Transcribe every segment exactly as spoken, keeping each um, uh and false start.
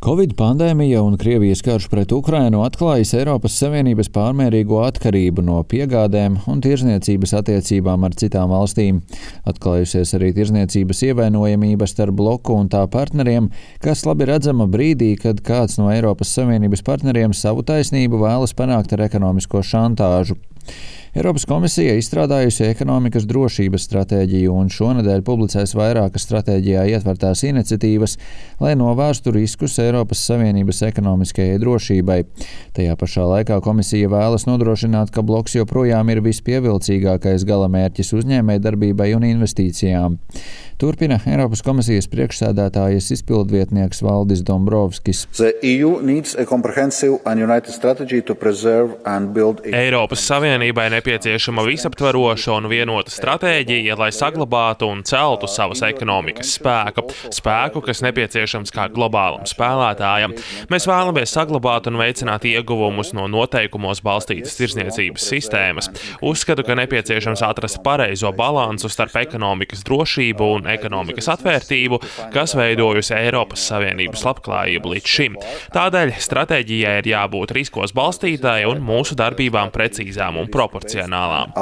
Covid pandēmija un Krievijas karš pret Ukrainu atklājas Eiropas Savienības pārmērīgo atkarību no piegādēm un tirzniecības attiecībām ar citām valstīm. Atklājusies arī tirzniecības ievainojamība starp bloku un tā partneriem, kas labi redzama brīdī, kad kāds no Eiropas Savienības partneriem savu taisnību vēlas panākt ar ekonomisko šantāžu. Eiropas komisija izstrādājusi ekonomikas drošības stratēģiju un šonedēļ publicēs vairākas stratēģijā ietvertās iniciatīvas, lai novērstu riskus Eiropas Savienības ekonomiskajai drošībai. Tajā pašā laikā komisija vēlas nodrošināt, ka bloks joprojām ir vispievilcīgākais galamērķis uzņēmējdarbībai un investīcijām. Turpina Eiropas komisijas priekšsēdētājas izpildvietnieks Valdis Dombrovskis. Eiropas Savienībai nepieciešama visaptveroša un vienota stratēģija, lai saglabātu un celtu savas ekonomikas spēku. Spēku, kas nepieciešams kā globālam spēlētājam. Mēs vēlamies saglabāt un veicināt ieguvumus no noteikumos balstītas tirzniecības sistēmas. Uzskatu, ka nepieciešams atrast pareizo balansu starp ekonomikas drošību un ekonomikas atvērtību, kas veidojusi Eiropas Savienības labklājību līdz šim. Tādēļ stratēģijai ir jābūt riskos balstītai un mūsu darbībām precīzām un proporcionālām.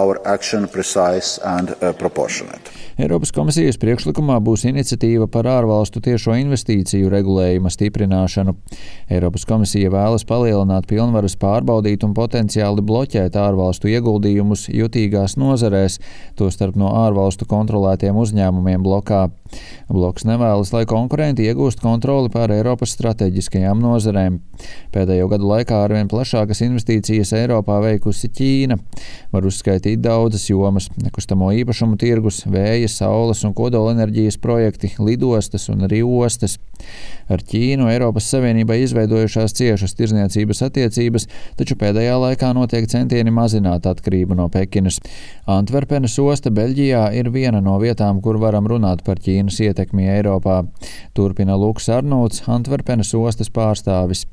Eiropas komisijas priekšlikumā būs iniciatīva par ārvalstu tiešo investīciju regulējuma stiprināšanu. Eiropas komisija vēlas palielināt pilnvaras pārbaudīt un potenciāli bloķēt ārvalstu ieguldījumus jutīgās nozarēs, tostarp no ārvalstu kontrolētiem uzņēmumiem blokā. Bloks nevēlas, lai konkurenti iegūst kontroli pār Eiropas strateģiskajām nozarēm. Pēdējo gadu laikā arvien plašākas investīcijas Eiropā veikusi Ķīna. Var uzskaitīt daudzas jomas – nekustamo īpašumu tirgus, vēja, saules un kodolenerģijas projekti, lidostas un arī ostas. Ar Ķīnu Eiropas Savienībai izveidojušās ciešas tirzniecības attiecības, taču pēdējā laikā notiek centieni mazināt atkarību no Pekinas. Antverpenes osta Beļģijā ir viena no vietām, kur varam runāt par Ķīnas ietekmi Eiropā. Turpina Luks Arnolds, Antverpenes ostas pārstāvis.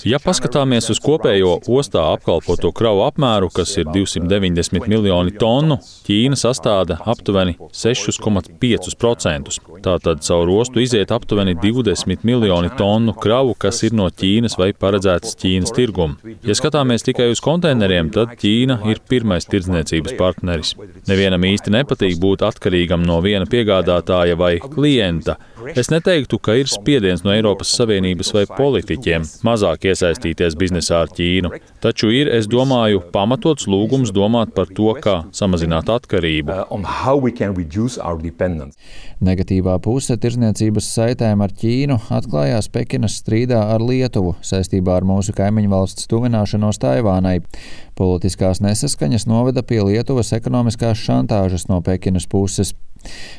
Ja paskatāmies uz kopējo ostā apkalpoto kravu apmēru, kas ir divsimt deviņdesmit miljoni tonu, Ķīna sastāda aptuveni seši komats pieci procenti. Tātad caur ostu iziet aptuveni divdesmit miljoni tonu kravu, kas ir no Ķīnas vai paredzētas Ķīnas tirgumu. Ja skatāmies tikai uz konteineriem, tad Ķīna ir pirmais tirdzniecības partneris. Nevienam īsti nepatīk būt atkarīgam no viena piegādātāja vai klienta. Es neteiktu, ka ir spiediens no Eiropas Savienības vai politiķiem mazāk iesaistīties biznesā ar Ķīnu. Taču ir, es domāju, pamatots lūgums domāt par to, kā samazināt atkarību. Negatīvā puse tirdzniecības saitēm ar Ķīnu atklājās Pekinas strīdā ar Lietuvu saistībā ar mūsu kaimiņu valsts tuvināšanos Taivānai. Politiskās nesaskaņas noveda pie Lietuvas ekonomiskās šantāžas no Pekinas puses.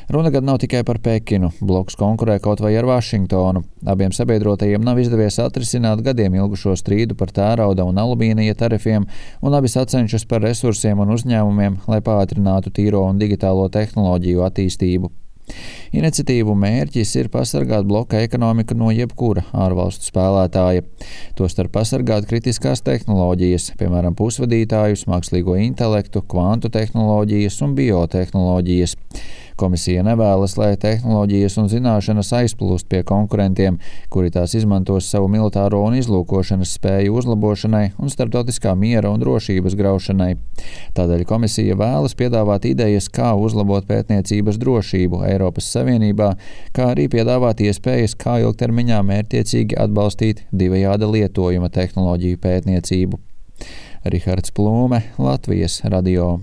Runa gan nav tikai par Pekinu. Bloks konkurē kaut vai ar Vašingtonu. Abiem sabiedrotajiem nav izdevies atrisināt gadiem ilgušo strīdu par tērauda un alumīnija tarifiem, un abi sacenšas par resursiem un uzņēmumiem, lai pātrinātu tīro un digitālo tehnoloģiju attīstību. Iniciatīvu mērķis ir pasargāt bloka ekonomiku no jebkura ārvalstu spēlētāja. Tostarp pasargāt kritiskās tehnoloģijas, piemēram, pusvadītājus, mākslīgo intelektu, kvantu tehnoloģijas un biotehnoloģijas. Komisija nevēlas, lai tehnoloģijas un zināšanas aizplūst pie konkurentiem, kuri tās izmantos savu militāro un izlūkošanas spēju uzlabošanai un starptautiskā miera un drošības graušanai. Tādēļ komisija vēlas piedāvāt idejas, kā uzlabot pētniecības drošību Eiropas Savienībā, kā arī piedāvāt iespējas, kā ilgtermiņā mērķtiecīgi atbalstīt divējāda lietojuma tehnoloģiju pētniecību. Rihards Plūme, Latvijas radio.